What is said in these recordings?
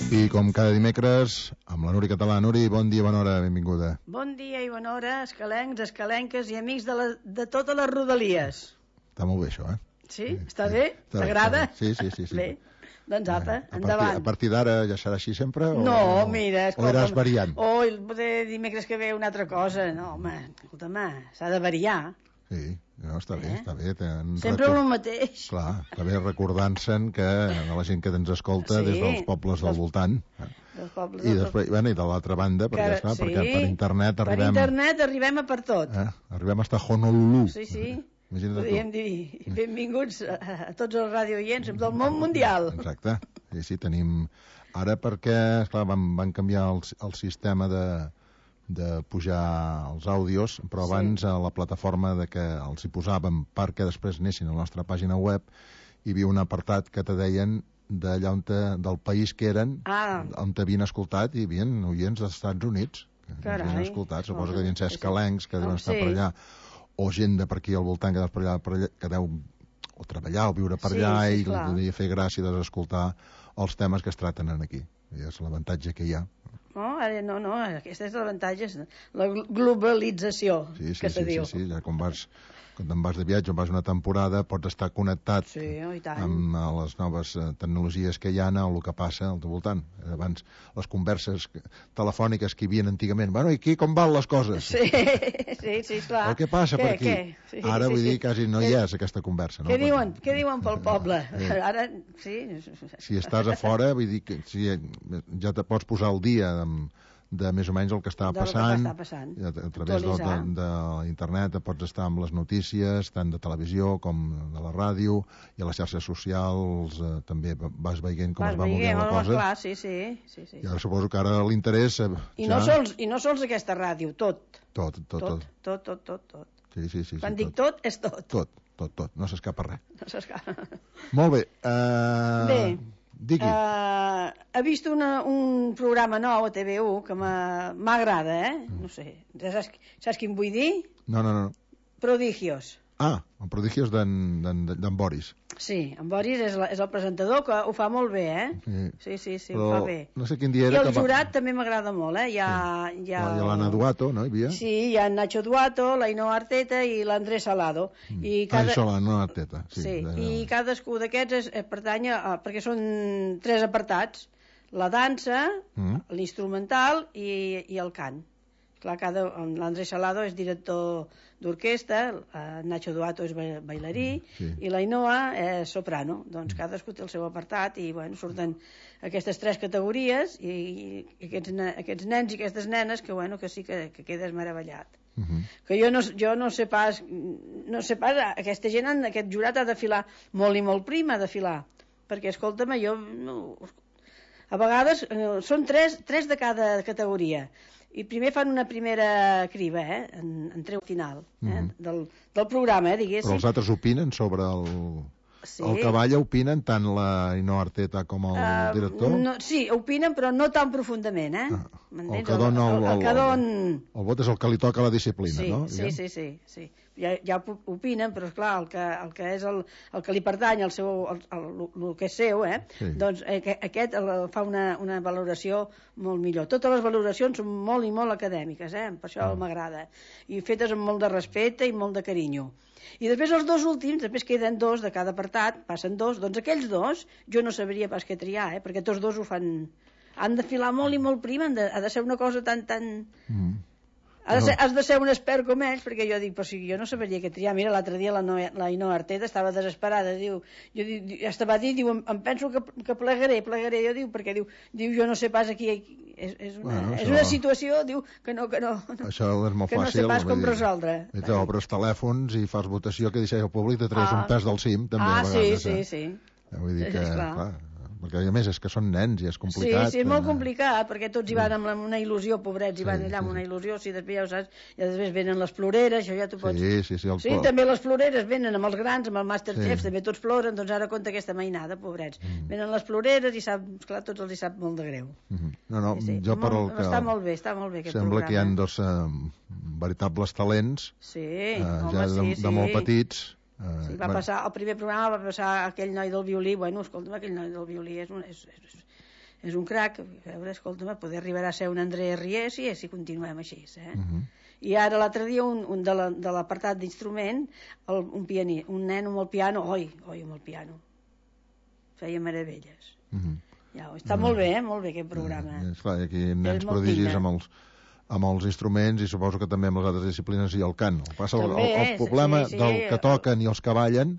I com cada dimecres, amb la Núria Català. Núria, bon dia, bona hora, benvinguda. Bon dia i bona hora, escalencs, escalenques i amics de totes les rodalies. Està molt bé, això, Sí? Està bé? T'agrada? Sí. Bé, doncs apa, endavant. A partir d'ara ja serà així sempre? No, mira... O iràs variant? Potser dimecres que ve una altra cosa. No, home, escolta'm, s'ha de variar. Sí, no, està bé, està bé. Sempre el mateix. Clar, està bé recordant-se'n que la gent que ens escolta des dels pobles del voltant. I després, i de l'altra banda, perquè per internet arribem... Per internet arribem a per tot. Arribem fins a Honolulu. Sí. Podríem dir benvinguts a tots els radioients del món mundial. Exacte. Sí, tenim... Ara perquè, esclar, van canviar el sistema de pujar els àudios, però abans a la plataforma de que els hi posàvem perquè després anessin a la nostra pàgina web hi havia un apartat que te deien d'allà del país que eren, on t'havien escoltat, i hi havia oients dels Estats Units que havien escoltat, suposo que devien ser escalencs que deuen estar per allà, o gent de per aquí al voltant que deu o treballar o viure per allà i li podria fer gràcia d'escoltar els temes que es traten aquí. I és l'avantatge que hi ha. No, aquest és l'avantatge, la globalització, que se diu. Sí, ja quan te'n vas de viatge o vas una temporada pots estar connectat amb les noves tecnologies que hi ha o el que passa al teu voltant. Abans les converses telefòniques que hi havia antigament, bueno, i aquí com van les coses? Sí, clar. Què passa per aquí? Ara vull dir, quasi no hi és aquesta conversa. Què diuen pel poble? Ara, sí. Si estàs a fora, vull dir que ja te pots posar al dia de més o menys el que està passant. A través d'internet pots estar amb les notícies tant de televisió com de la ràdio, i a les xarxes socials també vas veient com es va movent la cosa. Clar, sí. I ara suposo que ara l'interès... I no sols aquesta ràdio, tot. Tot. Sí. Quan dic tot, és tot. Tot, no s'escapa res. No s'escapa. Molt bé. Bé. Digui. He vist un programa nou a TV1 que m'agrada, no sé, saps quin vull dir? No. Prodigios. El Prodigios d'en Boris. Sí, en Boris és el presentador, que ho fa molt bé, Sí, ho fa bé. No sé quin dia era. I el jurat també m'agrada molt, Hi ha l'Anna Duato, no hi havia? Sí, hi ha Nacho Duato, l'Ainhoa Arteta i l'Andrés Salado. L'Ainhoa Arteta, sí. I cadascú d'aquests pertany perquè són 3 apartats: la dansa, l'instrumental i el cant. Clar, l'Andrés Salado és director d'orquestra, Nacho Duato és bailarí i l'Ainhoa és soprano. Doncs cadascú té el seu apartat i surten aquestes 3 categories i aquests nens i aquestes nenes que sí que quedes meravellat. Que jo no sé pas aquesta gent, aquest jurat ha de filar molt i molt prim, ha de filar, perquè escolta'm, a vegades són 3 de cada categoria, i primer fan una primera criba en treu final del programa, diguéssim. Però els altres opinen sobre el cavall, opinen tant l'Ainhoa Arteta com el director? Sí, opinen, però no tan profundament, el que dona el vot és el que li toca la disciplina, no? Sí. Ja opinen, però esclar, el que és el que li pertany, el que és seu, doncs aquest fa una valoració molt millor. Totes les valoracions són molt i molt acadèmiques, per això m'agrada, i fetes amb molt de respecte i molt de carinyo. I després els 2 últims, després queden 2 de cada apartat, passen 2, doncs aquells 2 jo no sabria pas què triar, perquè tots 2 ho fan, han de filar molt i molt prim, ha de ser una cosa tan... Has de ser un expert com ells, perquè jo dic, però si jo no sabria què triar. Mira, l'altre dia l'Ainhoa Arteta estava desesperada, diu, em penso que plegaré, jo diu, perquè diu, jo no sé pas aquí, és una situació, diu, que no això és molt fàcil, no sé pas com resoldre. Obres telèfons i fas votació que deixeu al públic, te treus un pes del cim, també a vegades. Sí. Vull dir que, clar, perquè a més és que són nens i és complicat. Sí, és molt complicat, perquè tots hi van amb una il·lusió, pobrets, hi van allà amb una il·lusió, si després ja ho saps, i després venen les ploreres, això ja t'ho pots... Sí, també les ploreres venen amb els grans, amb el Masterchef, també tots ploren, doncs ara compta aquesta mainada, pobrets. Venen les ploreres i esclar, tots els hi sap molt de greu. Jo per el que... Està molt bé aquest programa. Sembla que hi ha 2 veritables talents, ja de molt petits. Va passar, el primer programa va passar aquell noi del violí, escolta'm, aquell noi del violí és és un crac. A veure, escolta'm, poder arribar a ser un André Rieu si continuem així, I ara l'altre dia un de l'apartat d'instrument, un nen amb el piano, oi, amb el piano, feia meravelles. Ja, està molt bé aquest programa. Esclar, aquí nens prodigis amb els instruments i suposo que també amb les altres disciplines i el cant. El problema del que toquen i els que ballen,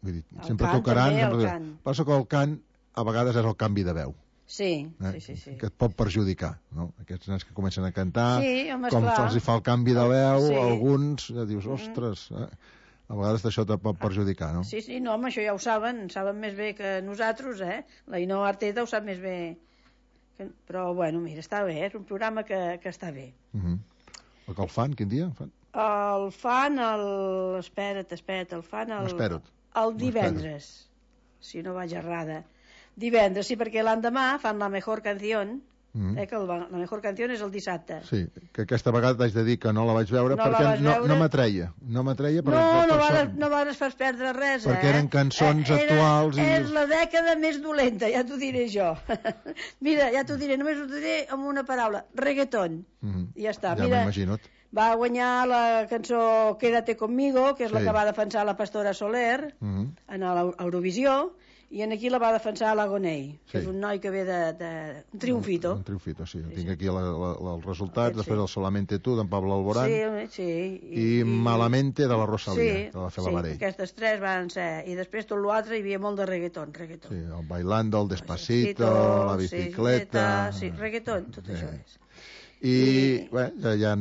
vull dir, sempre tocaran, passa que el cant a vegades és el canvi de veu. Sí. Que et pot perjudicar, no? Aquests nens que comencen a cantar, com clar. se'ls fa el canvi de veu, alguns dius, ostres, a vegades això te pot perjudicar, no? Sí, no, home, això ja ho saben més bé que nosaltres, La Ainhoa Arteta ho sap més bé. Però, bueno, mira, està bé, és un programa que està bé. El que el fan, quin dia? El fan espera't, el fan el divendres, si no vaig errada. Divendres, sí, perquè l'endemà fan la mejor canción, que la mejor canción és el dissabte. Sí, que aquesta vegada t'haig de dir que no la vaig veure perquè no m'atreia. No vas fer perdre res, perquè eren cançons actuals. És la dècada més dolenta, ja t'ho diré jo. Mira, ja t'ho diré, només ho diré amb una paraula, reggaeton. I ja està. Ja m'imagino. Va guanyar la cançó Quédate conmigo, que és la que va defensar la Pastora Soler en l'Eurovisió, i aquí la va defensar l'Agonei, que és un noi que ve un triomfito. Un triomfito, sí. Tinc aquí els resultats, després el Solamente tu, d'en Pablo Alborán, i Malamente, de la Rosalía, de la Fela Varell. Sí, aquestes tres van ser, i després tot l'altre hi havia molt de reggaeton. Sí, el Bailando, el Despacito, la bicicleta... Sí, reggaeton, tot això és. I bé, ja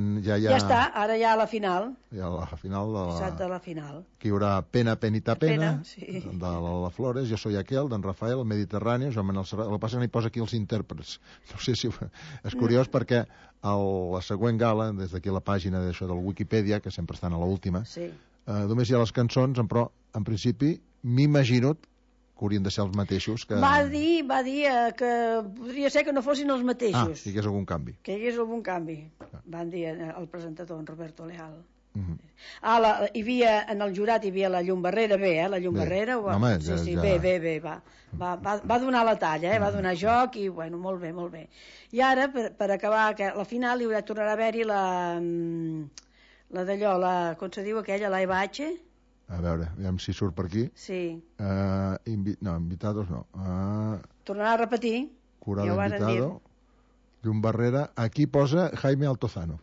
està, ara ja a la final. Ja a la final de la final. Que hi haurà Pena, Penita, Pena, sí. De la Flores, Jo soy aquel, d'en Rafael, el Mediterrani, Joan Manuel Serrat. El que passa que n'hi posa aquí els intèrprets. No sé si... És curiós perquè la següent gala, des d'aquí la pàgina d'això del Wikipedia, que sempre estan a l'última, només hi ha les cançons, però en principi m'imagino que haurien de ser els mateixos. Va dir que podria ser que no fossin els mateixos. Que hi hagués algun canvi. Que hi hagués algun canvi. Van dir el presentador, en Roberto Leal. Hi havia, en el jurat hi havia la Llum Barrera, la Llum Barrera. Bé, va donar la talla, va donar joc i, bueno, molt bé. I ara, per acabar la final, hi tornarà a haver-hi la d'allò, com se diu aquella, la Eva H., a veure, aviam si surt per aquí. Sí. Invitados no. Tornarà a repetir. Jurado invitado. Llum Barrera. Aquí posa Jaime Altozano.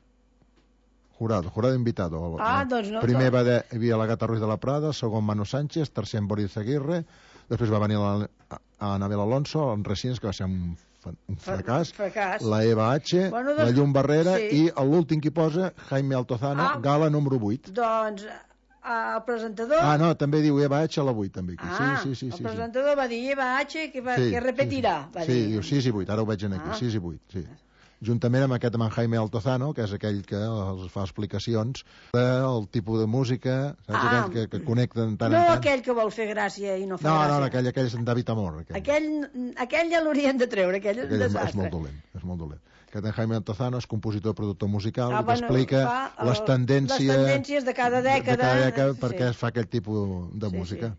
Jurado invitado. Doncs no. Primer hi havia la Gata Ruiz de la Prada, segon Manu Sánchez, tercer en Boris Aguirre, després va venir Anabel Alonso, en Resines, que va ser un fracàs. La Eva H, la Llum Barrera i l'últim que posa, Jaime Altozano, gala número 8. Doncs... el presentador... no, també diu Eva H a la 8, també aquí. Sí. El presentador va dir Eva H, que repetirà. Sí, diu 6 i 8, ara ho veig aquí, 6 i 8, sí. Juntament amb aquest Jaime Altozano, que és aquell que els fa explicacions del tipus de música, saps? Aquell que connecten tant en tant. No aquell que vol fer gràcia i no fa gràcia. No, aquell és en David Amor. Aquell ja l'haurien de treure, aquell és un desastre. És molt dolent. Aquest Jaime Altozano és compositor i productor musical i explica les tendències de cada dècada perquè es fa aquell tipus de música.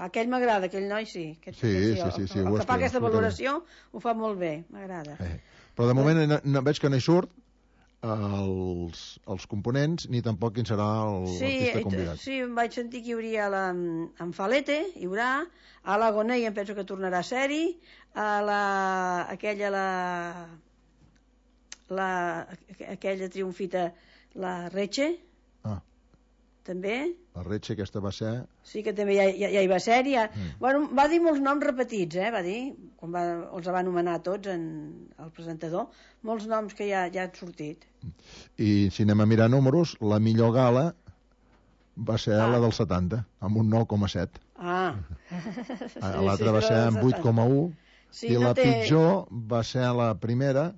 Aquell m'agrada, aquell noi sí. Sí. El que fa aquesta valoració ho fa molt bé, m'agrada. Però de moment veig que no hi surt els components ni tampoc quin serà l'artista convidat. Sí, em vaig sentir que hi hauria en Falete, hi haurà, a l'Agonei em penso que tornarà a ser-hi, aquella triomfita, la Reche, també. La Reche, aquesta va ser... Sí, que també ja hi va ser. Bueno, va dir molts noms repetits, va dir, quan els va anomenar tots el presentador, molts noms que ja han sortit. I si anem a mirar números, la millor gala va ser la del 70, amb un 9,7. L'altra va ser amb 8,1, i la pitjor va ser la primera,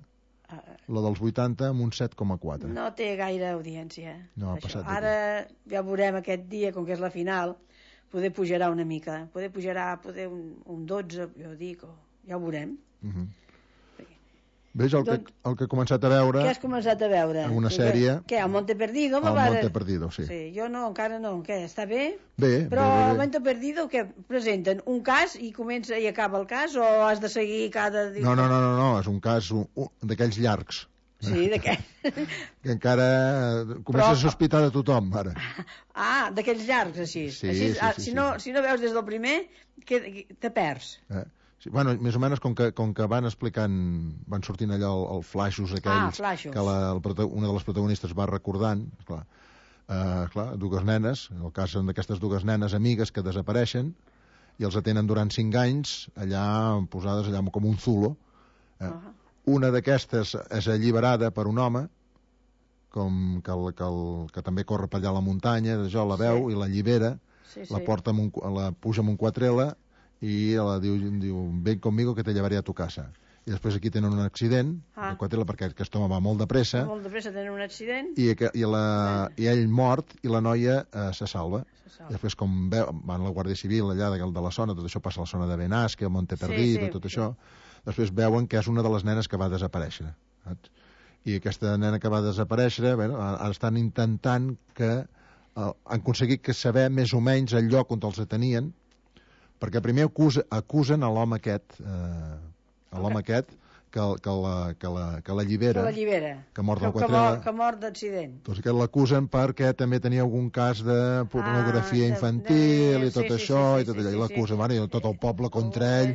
la dels 80, amb un 7,4. No té gaire audiència. No, ha passat ara ja veurem aquest dia, com que és la final, poder pujarà una mica. Poder un 12, jo dic, ja ho veurem. Veig el que he començat a veure... Què has començat a veure? Una sèrie... Què, El Monte Perdido? El Monte Perdido, sí. Sí, jo no, encara no. Què, està bé? Bé. Però El Monte Perdido, què, presenten un cas i comença i acaba el cas o has de seguir cada... No, és un cas d'aquells llargs. Sí, de què? Que encara comença a sospitar de tothom, ara. Ah, d'aquells llargs, així. Sí. Si no veus des del primer, te perds. Sí, bueno, més o menys com que van explicant, van sortint allò els flaixos aquells que una de les protagonistes va recordant, clar, dues nenes, en el cas d'aquestes dues nenes amigues que desapareixen i els atenen durant 5 anys allà posades allà com un zulo. Una d'aquestes és alliberada per un home que també corre per allà a la muntanya, la veu i l'allibera, la puja amb un quatrela i la diu, ven conmigo que te llevaré a tu casa. I després aquí tenen un accident, perquè aquest home va molt de pressa. Molt de pressa tenen un accident. I ell mort i la noia se salva. I després com van a la Guàrdia Civil allà de la zona, tot això passa a la zona de Benasque, Monte Perdido, tot això, després veuen que és una de les nenes que va desaparèixer. I aquesta nena que va desaparèixer, ara estan intentant que han aconseguit saber més o menys el lloc on els detenien, perquè primer acusen a l'home aquest que l'allibera, que mort del quatrela, que mort d'accident. Doncs que l'acusen perquè també tenia algun cas de pornografia infantil i tot això, i l'acusen, i tot el poble contra ell,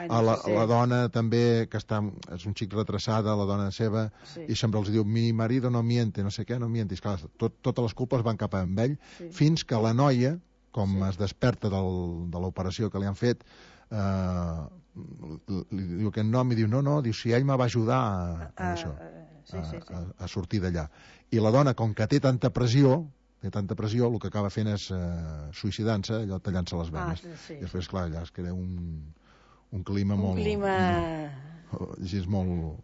la dona també, que és un xic retrasada, la dona seva, i sempre els diu, mi marido no miente, no sé què, no miente, i clar, totes les culpes van cap a ell, fins que la noia, com es desperta de l'operació que li han fet, li diu aquest nom i diu, no, si ell me va ajudar a sortir d'allà. I la dona, com que té tanta pressió, el que acaba fent és suïcidant-se, allò tallant-se les venes. I després, clar, allà es crea un clima molt... Així és molt...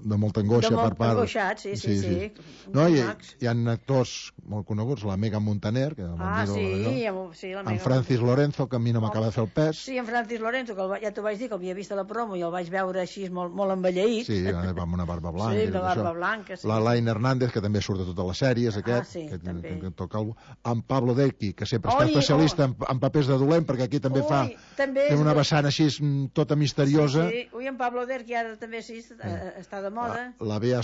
de molta angoixa per part... Angoixat, sí. No, hi ha actors molt coneguts, la Megan Montaner, que en Francis Lorenzo, que a mi no m'acaba de fer el pes. Sí, en Francis Lorenzo, que ja t'ho vaig dir, que havia vist a la promo i el vaig veure així molt envelleït. Sí, amb una barba blanca. Sí, la barba blanca, sí. La Laine Hernández, que també surt de totes les sèries, que toca en Pablo Decchi, que sempre està especialista en papers de dolent, perquè aquí també té una vessant així tota misteriosa. Sí, en Pablo Decchi ara també està de moda. La Bea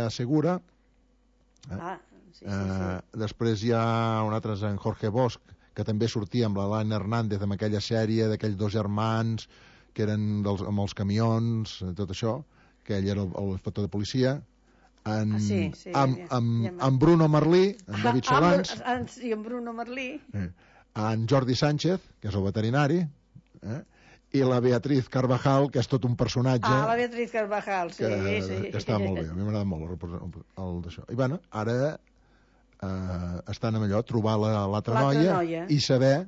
Segura. Després hi ha un altre, en Jorge Bosch, que també sortia amb la Laine Hernández amb aquella sèrie d'aquells dos germans que eren amb els camions, tot això, que ell era l'inspector de policia. Amb Bruno Merlí, en David Solans. Sí, amb Bruno Merlí. En Jordi Sánchez, que és el veterinari, i la Beatriz Carvajal, que és tot un personatge... la Beatriz Carvajal, sí. Que està molt bé, a mi m'agrada molt el d'això. I bueno, ara estan amb allò, trobar l'altra noia i saber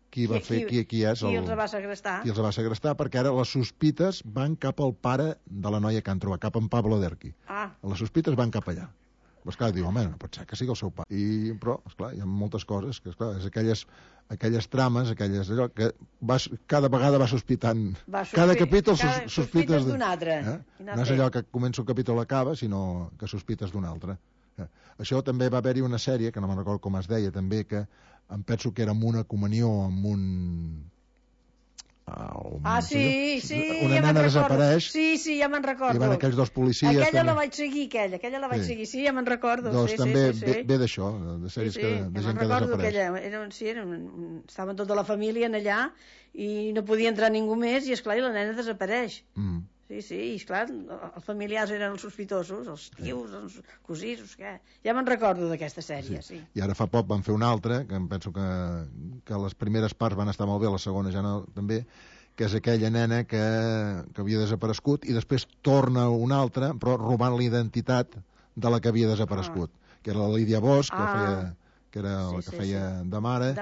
qui va fer, qui és qui els va segrestar. Qui els va segrestar, perquè ara les sospites van cap al pare de la noia que han trobat, cap en Pablo Derqui. Les sospites van cap allà. Però esclar, diu, home, no pot ser que sigui el seu pare. Però, esclar, hi ha moltes coses, que esclar, és aquelles trames, allò, que cada vegada va sospitant. Cada capítol sospites d'un altre. No és allò que comença un capítol i acaba, sinó que sospites d'un altre. Això també va haver-hi una sèrie, que no me'n recordo com es deia, també, que em penso que era amb una comunió, amb un... sí, una nena desapareix. Sí, ja me'n recordo. I van aquells dos policies. Aquella la vaig seguir, sí, ja me'n recordo. Doncs també ve d'això, de sèries de gent que desapareix. Estaven tota la família allà i no podia entrar ningú més i, esclar, la nena desapareix. Sí, i esclar, els familiars eren els sospitosos, els tios, els cosins, què. Ja me'n recordo d'aquesta sèrie, sí. I ara fa poc van fer una altra, que em penso que les primeres parts van estar molt bé, la segona ja no, també, que és aquella nena que havia desaparegut i després torna una altra, però robant la identitat de la que havia desaparegut, que era la Lídia Bosch, que era la que feia de mare,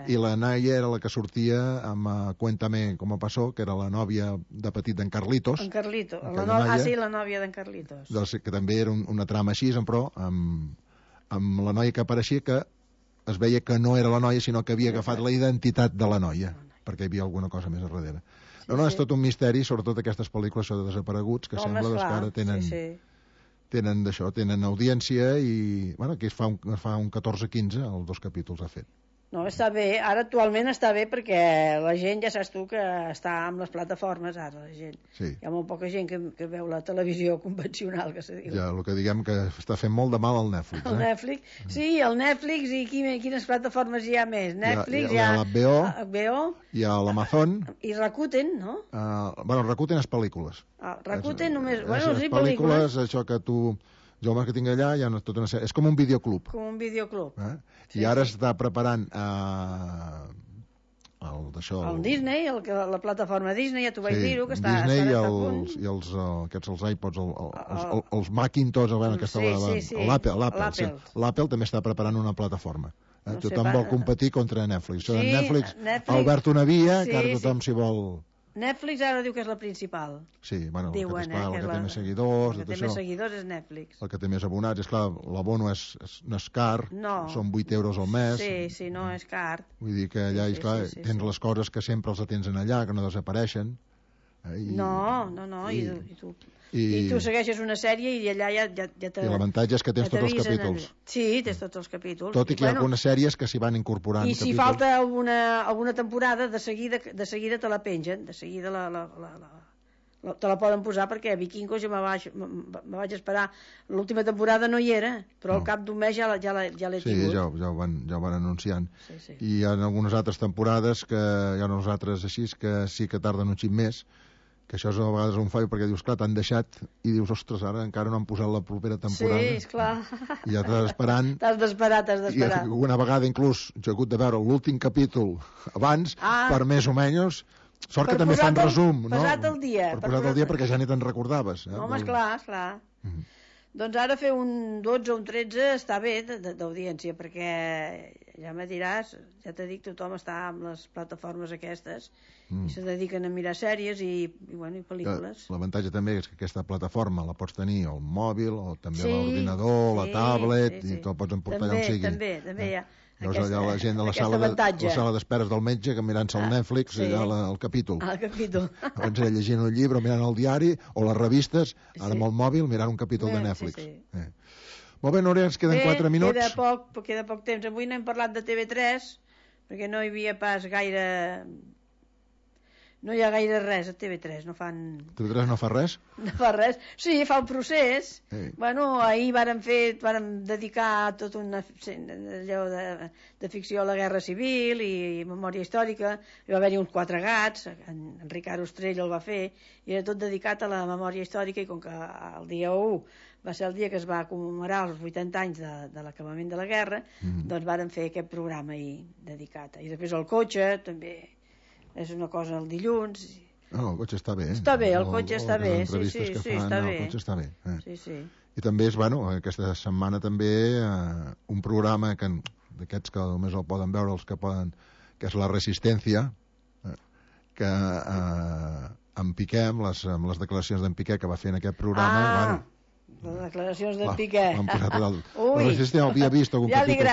i la Naya era la que sortia amb Cuéntame cómo pasó, que era la nòvia de petit d'en Carlitos. En Carlitos, la nòvia d'en Carlitos. Que també era una trama així, però amb la noia que apareixia, que es veia que no era la noia, sinó que havia agafat la identitat de la noia, perquè hi havia alguna cosa més a darrere. No, és tot un misteri, sobretot aquestes pel·lícules de desapareguts, que sembla que ara tenen d'això, tenen audiència i, bueno, aquí es fa un 14-15, els 2 capítols ha fet. No, està bé, ara actualment està bé perquè la gent, ja saps tu, que està amb les plataformes ara, la gent. Sí. Hi ha molt poca gent que veu la televisió convencional, que se diu. Ja, el que diguem que està fent molt de mal al Netflix. El Netflix, sí, el Netflix i quines plataformes hi ha més? Netflix, hi ha l'HBO, hi ha l'Amazon. I Rakuten, no? Bueno, Rakuten és pel·lícules. Rakuten només, bueno, sí, pel·lícules, això que tu... Jo el que tinc allà hi ha tota una sèrie. És com un videoclub. Com un videoclub. I ara està preparant el Disney, la plataforma Disney, ja t'ho vaig dir-ho, que està Disney a punt. I els iPods, els Macintosh, l'Apple també està preparant una plataforma. Tothom vol competir contra Netflix. Netflix ha obert una via que ara tothom s'hi vol... Netflix ara diu que és la principal. Sí, bueno, diuen, el que té més seguidors... El que té més seguidors és Netflix. El que té més abonats, és clar, l'abono no és car, són 8 euros al mes. Sí, no és car. Vull dir que allà, tens les coses que sempre els tens en allà, que no desapareixen. No, i tu segueixes una sèrie i allà ja I l'avantatge és que tens tots els capítols. Sí, tens tots els capítols. Tot i que hi ha algunes sèries que s'hi van incorporant. I si falta alguna temporada, de seguida te la pengen, de seguida te la poden posar, perquè Vikingos ja me vaig esperar. L'última temporada no hi era, però al cap d'un mes ja l'he tingut. Sí, ja ho van anunciant. I hi ha algunes altres temporades que hi ha uns altres així que sí que tarden un xic més, que això és a vegades un fallo, perquè dius, clar, t'han deixat i dius, ostres, ara encara no han posat la propera temporada. Sí, esclar. I ja t'estàs esperant. T'has d'esperar. I una vegada inclús jo he hagut de veure l'últim capítol abans, per més o menys. Sort que també fan resum, no? Posat al dia. Per posat al dia, perquè ja ni te'n recordaves. Home, esclar. Doncs ara fer un 12 o un 13 està bé d'audiència, perquè ja me diràs, ja t'he dit, tothom està amb les plataformes aquestes i se dediquen a mirar sèries i pel·lícules. L'avantatge també és que aquesta plataforma la pots tenir al mòbil o també a l'ordinador, la tablet, i te'l pots emportar allà on sigui. També hi ha allà la gent de la sala d'esperes del metge que mirant-se el Netflix allà el capítol. Abans era llegint el llibre o mirant el diari o les revistes, ara amb el mòbil mirant un capítol de Netflix. Molt bé, Núria, ens queden 4 minuts. Queda poc temps. Avui no hem parlat de TV3 perquè no hi havia pas gaire... No hi ha gaire res a TV3, no fan... TV3 no fa res? No fa res. Sí, fa un procés. Bueno, ahir vàrem dedicar tot una allò de ficció a la Guerra Civil i memòria històrica. Hi va haver-hi uns 4 gats, en Ricard Ostrell el va fer, i era tot dedicat a la memòria històrica, i com que el dia 1 va ser el dia que es va commemorar els 80 anys de l'acabament de la guerra, doncs vàrem fer aquest programa ahir dedicat. I després el cotxe, també... és una cosa el dilluns. El cotxe està bé. Està bé, el cotxe està bé. Sí, està bé. El cotxe està bé. Sí. I també és, aquesta setmana també un programa d'aquests que només el poden veure els que poden, que és La Resistència, que en Piqué, amb les declaracions d'en Piqué que va fer en aquest programa, les declaracions d'en Piqué. La Resistència havia vist algun capítol.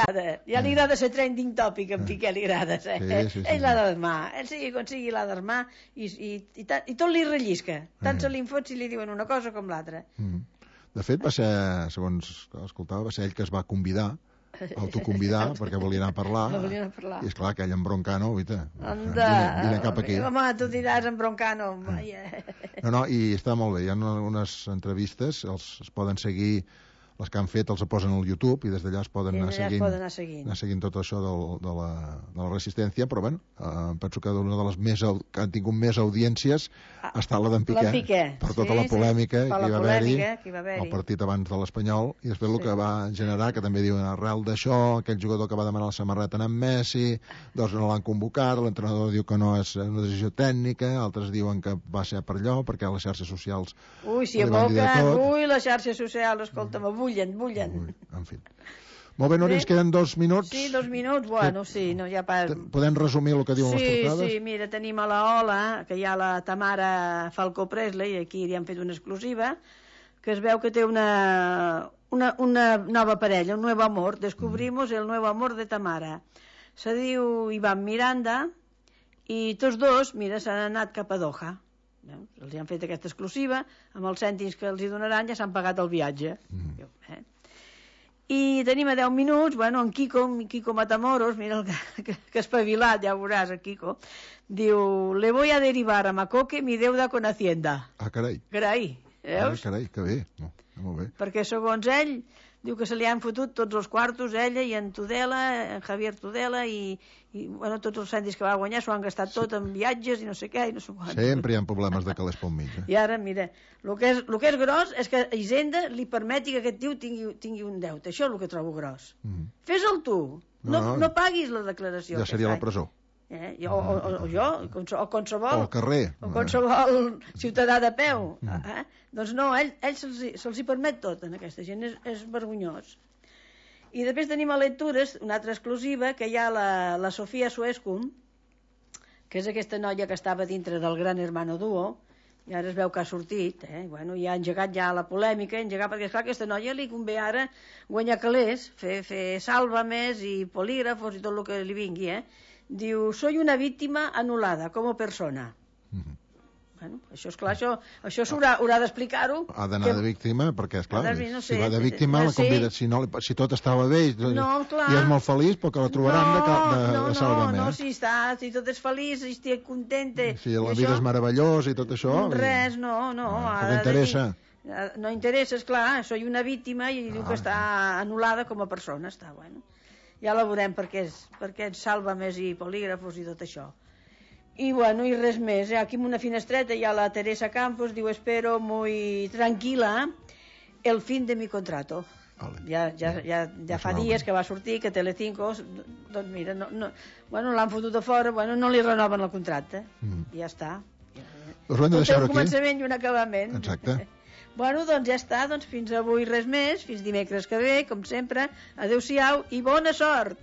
Ja li agrada ser trending topic, en Piqué li agrada. Ell l'ha d'armar, ell sigui com sigui l'ha d'armar, i tot li rellisca. Tant se li fot si li diuen una cosa com l'altra. De fet, va ser, segons escoltava, va ser ell que es va autoconvidar perquè volia anar a parlar. I esclar, aquell embroncano, vine cap aquí. Home, tu diràs embroncano. No, i està molt bé. Hi ha unes entrevistes, es poden seguir, les que han fet els posen al YouTube i des d'allà es poden anar seguint tot això de la resistència, però penso que una de les que han tingut més audiències ha estat la d'en Piqué, per tota la polèmica que hi va haver-hi el partit abans de l'Espanyol, i després el que va generar, que també diuen arrel d'això, aquell jugador que va demanar la samarreta en Messi, doncs no l'han convocat, l'entrenador diu que no és una decisió tècnica, altres diuen que va ser per allò, perquè les xarxes socials si aboquen, les xarxes socials, escolta'm, bullen. En fi. Molt bé, Núria, ens queden 2 minuts. Sí, 2 minuts, bueno, sí, no hi ha pas... Podem resumir el que diuen les trucades? Sí, mira, tenim a la Ola, que hi ha la Tamara Falcó Presley, aquí li han fet una exclusiva, que es veu que té una nova parella, un nuevo amor. Descubrimos el nuevo amor de Tamara. Se diu Iván Miranda, i tots dos, mira, s'han anat cap a Doha. Els han fet aquesta exclusiva, amb els cèntims que els hi donaran ja s'han pagat el viatge. I tenim a 10 minuts, bueno, en Kiko Matamoros, mira que espavilat, ja ho veuràs, el Kiko, diu, le voy a derivar a Macoque mi deuda con Hacienda. Ah, carai. Carai, veus? Carai, que bé. No, molt bé. Perquè segons ell, diu que se li han fotut tots els quartos, ella i en Tudela, en Javier Tudela, i bueno, tots els cèntims que va guanyar s'ho han gastat tot en viatges i no sé què, i no sé quant. Sempre hi ha problemes de calés pel mig. I ara, mira, el que és gros és que Hisenda li permeti que aquest tio tingui un deute. Això és el que trobo gros. Fes-el tu. No paguis la declaració. Ja seria la presó. O jo, o qualsevol... O al carrer. O qualsevol ciutadà de peu. Doncs no, ell se'ls hi permet tot, en aquesta gent. És vergonyós. I després tenim a lectures una altra exclusiva, que hi ha la Sofia Suescum, que és aquesta noia que estava dintre del Gran Hermano Duo, i ara es veu que ha sortit, bueno, i ha engegat ja la polèmica, perquè esclar, aquesta noia li convé ara guanyar calés, fer sàlvames i polígrafos i tot el que li vingui, Diu, soy una víctima anul·lada com a persona. Bueno, això, esclar, això haurà d'explicar-ho. Ha d'anar de víctima, perquè, esclar, no sé, si va de víctima, la convida, si tot estava bé i és molt feliç, perquè la trobaran de salvament. No, si tot és feliç, si estic contenta... Si la vida és meravellós i tot això... Res, no. No interessa. No interessa, esclar, soy una víctima i diu que està anul·lada com a persona, està, bueno. Ja la veurem perquè és sàlvames i polígrafos i tot això. I bueno, i res més. Aquí en una finestreta hi ha la Teresa Campos, diu, espero muy tranquila el fin de mi contrato. Ja fa dies que va sortir, que Telecinco, doncs mira, bueno, l'han fotut a fora, bueno, no li renoven el contracte. I ja està. Us ho hem de deixar aquí. Un començament i un acabament. Exacte. Bueno, doncs ja està, doncs fins avui res més, fins dimecres que ve, com sempre. Adéu-siau i bona sort!